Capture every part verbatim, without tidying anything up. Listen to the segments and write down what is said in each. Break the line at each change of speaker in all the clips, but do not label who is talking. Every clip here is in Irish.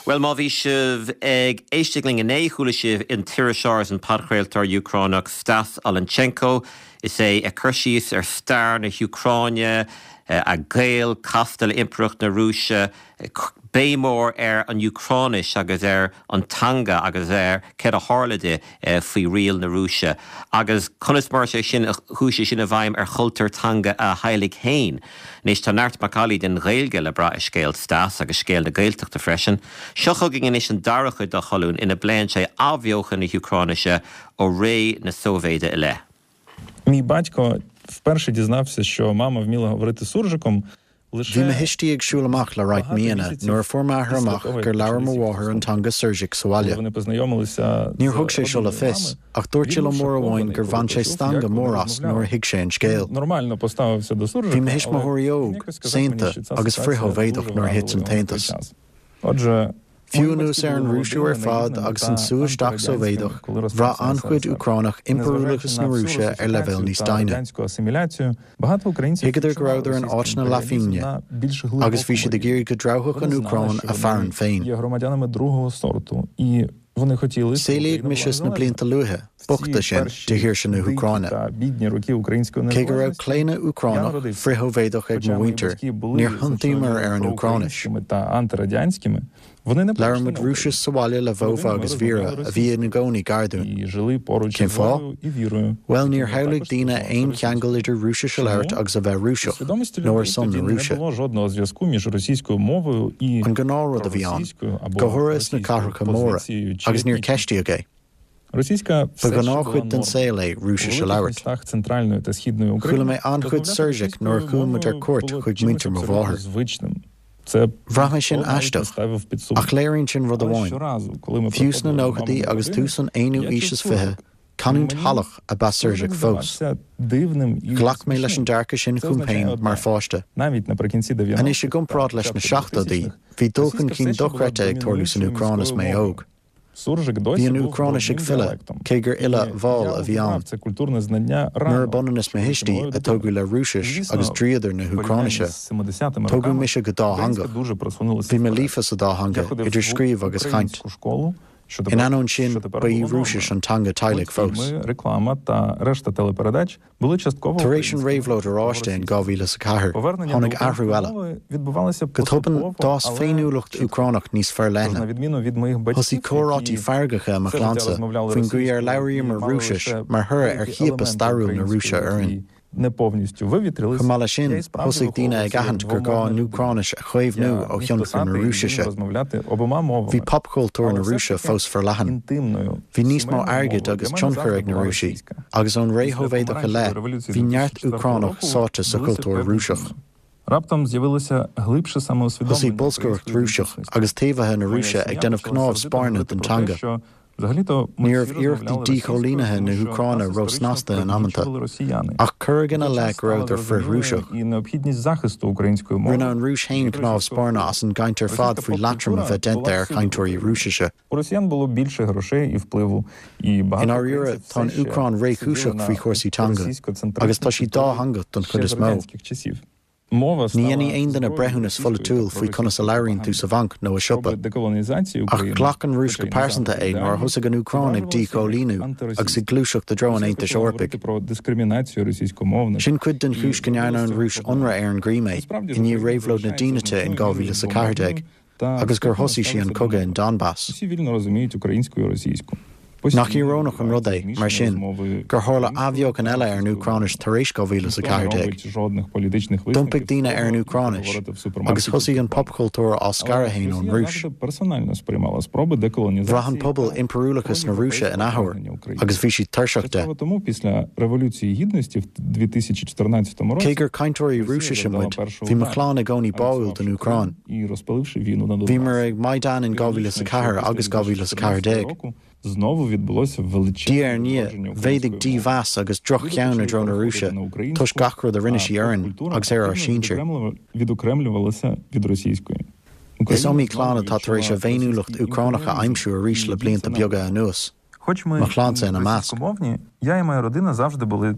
Well má bhí sibh ag éisteacht linn inné chuala sibh an t-iriseoir is an podchraoltóir Úcránach Stas Olenchenko is é ag cur síos ar stair na hÚcráine a gaol casta le Impireacht na Rúise béim mhór ar an Úcráinis agus ar an teanga agus ar céard a tharla di faoi riail na Rúise. agus conas mar sé sin chuaigh sé sin i bhfeidhm ar chultúr teanga a theaghlaigh féin. Anois tá neart macallaí den Ghaeilge le brath i scéal Stas agus scéal na Gaeltachta freisin. Seo chugainn anois an dara cuid dá cholún ina bpléann sé athbheochan na hÚcráinise ó ré na Sóivéide i leith.
Мій батько вперше дізнався, що мама вміла говорити суржиком.
Bhí mo thuistí ag siúl amach le roinnt míonna nuair a fuair m'athair amach gur labhair mo mháthair an teanga surzhik sa bhaile. Níor thug sé seo le fios, ach dúirt sé liom uair amháin gur bhain sé stangadh mór as nuair a thuig sé an scéal. Bhí mo thuismitheoirí óg, saonta agus frith-Shóivéadach nuair a thit an tAontas. Fiú anuas ar an Rúisiú ar fad agus an sú isteach Sóivéadach, bhraith an-chuid Úcránach impiriúlachas na Rúise ar leibhéal níos doimhne. Thuigeadar go rabhadar in áit na leathphingine, agus bhí siad ag iarraidh go dtreabhfadh an Úcráin a fearann féin. Saolaíodh mise sna blianta luatha, bochta sin de shaoirse na hÚcráine. Cé go raibh claonadh Úcránach, frith-Shóivéadach ag mo mhuintir, níor thiontaíomar ar an Úcráinis. Labhair muid Rúisis sa bhaile le Vova agus Vera a bhí ina gcónaí gar dúinn. Cén fáth? Bhuel níor shamhlaigh daoine aon cheangal idir Rúisis a labhairt agus a bheith Rúiseach, nó ar son na Rúise. An gnáthrud a bhí ann, go háirithe sna cathracha móra, agus níor ceistíodh é. Ba ghnáthchuid den saol é Rúisis a labhairt. Chuala mé an-chuid surzhik nuair a chuaigh muid ar cuairt chuig muintir mo mháthar. Bhraith mé sin aisteach, ach léiríonn sin rud amháin. Fiú sna nóchaidí agus tús an aonú aois is fiche, canúint shalach ab ea surzhik fós. Ghlac mé leis an dearcadh sin chugam féin mar pháiste. Anois i gcomparáid leis na seachtóidí, bhí dul chun cinn dochreidte ag tarlú san Úcráin is mé óg. Bhí an Úcráinis ag filleadh, cé gur fhilleadh mhall a bhí ann. Murab ionann is mo thuistí, a tógadh le Rúisis agus dríodar na hÚcráinise, tógadh mise go dátheangach. Bhí mé líofa sa dá theanga, idir scríobh agus chaint. In ainneoin sin, ba í Rúisis an teanga teaghlaigh fós. Tar éis an Réabhlóid Oráiste in dhá mhíle is a ceathair, tháinig athrú eile. Go tobann, d'fhás féiniúlacht Úcránach níos forleithne. Thosaigh comhráití feargacha i mo chlannsa faoin gcaoi ar labhraíomar Rúisis mar thoradh ar chiapadh stairiúil na Rúise orainn. Chomh maith leis sin, thosaigh daoine ag aithint gur gá an Úcráinis a chaomhnú ó thionchar na Rúisise. Bhí popchultúr na Rúise fós forleathan. Bhí níos mó airgid agus tionchair ag na Rúisigh, agus ón ré Shóivéadach i leith, bhí neart Úcránach sáite sa chultúr Rúiseach. Thosaigh bolscaireacht Rúiseach agus taobhaithe na Rúise ag déanamh cnámh spairne den teanga. Ní raibh iarrachtaí díchoilínithe na hÚcráine róshnasta in amanta, ach cuireadh ina leith go rabhadar frith-Rúiseach. Rinne an Rúis féin cnámh spairne as an gcaint ar fad faoi leatrom a bheith déanta ar chainteoirí Rúisise. I ndáiríre, tá an Úcráin réchúiseach faoi chúrsaí teanga, agus tá sí dátheangach don chuid is mó. Ní dhéanfaidh aon duine breithiúnas pholaitiúil faoi conas a labhraíonn tú sa bhanc nó i siopa. Ach ghlac an Rúis go pearsanta é nuair a thosaigh an Úcráin ag díchoilíniú agus ag gluaiseacht i dtreo an Aontais Eorpaigh. Sin cuid den chúis go ndearna an Rúis ionradh ar an gCrímé i ndiaidh Réabhlóid na Dínite in dhá mhíle is a ceathair déag agus gur thosaigh sí an cogadh in Donbas. Nach íorónach an rud é, mar sin, gur tharla athbheochan eile ar an Úcráinis tar éis dhá mhíle is a ceathair déag? D'iompaigh daoine ar an Úcráinis, agus thosaigh an popchultúr á scaradh féin ón Rúis. Bhraith an pobal impiriúlachas na Rúise in athuair, agus bhí siad tuirseach de. Cé gur cainteoirí Rúisise muid, bhí mo chlann i gcónaí báúil don Úcráin. Bhíomar ag Maidan in dhá mhíle is a ceathair agus dhá mhíle is a ceathair déag. Diaidh ar ndiaidh, mhéadaigh dímheas agus droch-cheann i dtreo na Rúise toisc gach rud a rinne sí orainn agus ar ár sinsir. Is iomaí clann atá tar éis a bhféiniúlacht Úcránach a aimsiú arís le blianta beaga anuas, mo chlannsa ina measc.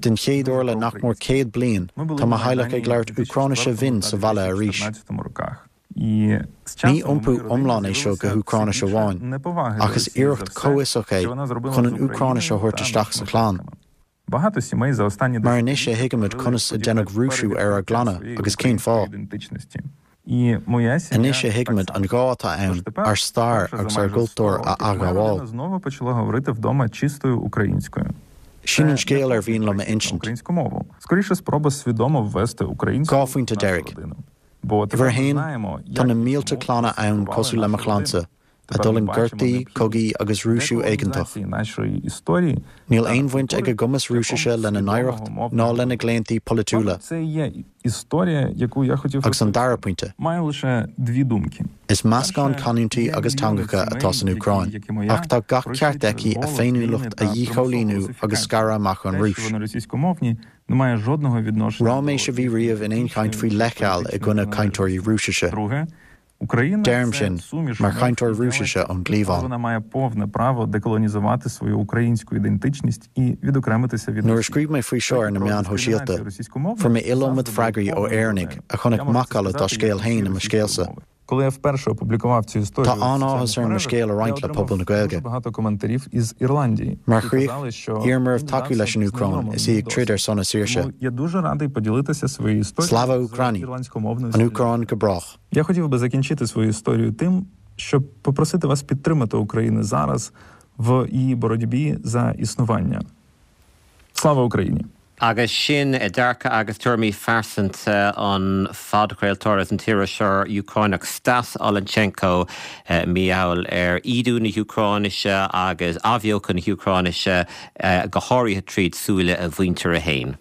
Den chéad uair le nach mór céad bliain, tá mo theaghlach ag labhairt Úcráinise bhinn sa bhaile arís. Ní iompú iomlán é seo go hÚcráinis amháin, ach is iarracht chomhfhiosach é chun an Úcráinis a thabhairt isteach sa chlann. Mar anois a thuigimid conas a deineadh Rúisiú ar ár gclanna agus cén fáth. Anois a thuigimid an gá atá ann ár stair agus ár gcultúr a athghabháil. Sin an scéal ar mhian liom a insint. Dhá phointe deiridh. Uimhir a haon, tá na mílte clanna ann cosúil le mo chlannsa, a d'fhulaing gortaí, cogaí agus Rúisiú éigeantach. Níl aon bhaint ag a gcumas Rúisise lena n-oidhreacht ná lena gclaontaí polaitiúla. Agus an dara pointe, is meascán canúintí agus teangacha atá san Úcráin, ach tá gach ceart aici a féiniúlacht a dhíchoilíniú agus scaradh amach ón Rúis. Ráiméis a bhí riamh in aon chaint faoi leithcheal i gcoinne cainteoirí Rúisise. Deirim sin mar chainteoir Rúisise ón gcliabhán. Nuair a scríobh mé faoi seo ar na meáin shóisialta, fuair mé iliomad freagraí ó Éireannaigh a chonaic macalla dá scéal féin i mo scéalsa. Tá an-áthas orm mo scéal a roinnt le pobal na Gaeilge. Mar chríoch, iarraim oraibh tacú leis an Úcráin is í ag troid ar son a saoirse. Slava Ukraini! An Úcráin go brách!
Agus sin dearcadh agus tuairimí phearsanta an phodchraoltóra is an t-iriseoir Úcránach Stas Olenchenko mar gheall ar ídiú na hÚcráinise agus athbheochan na hÚcráinise, go háirithe tríd súile a mhuintire féin.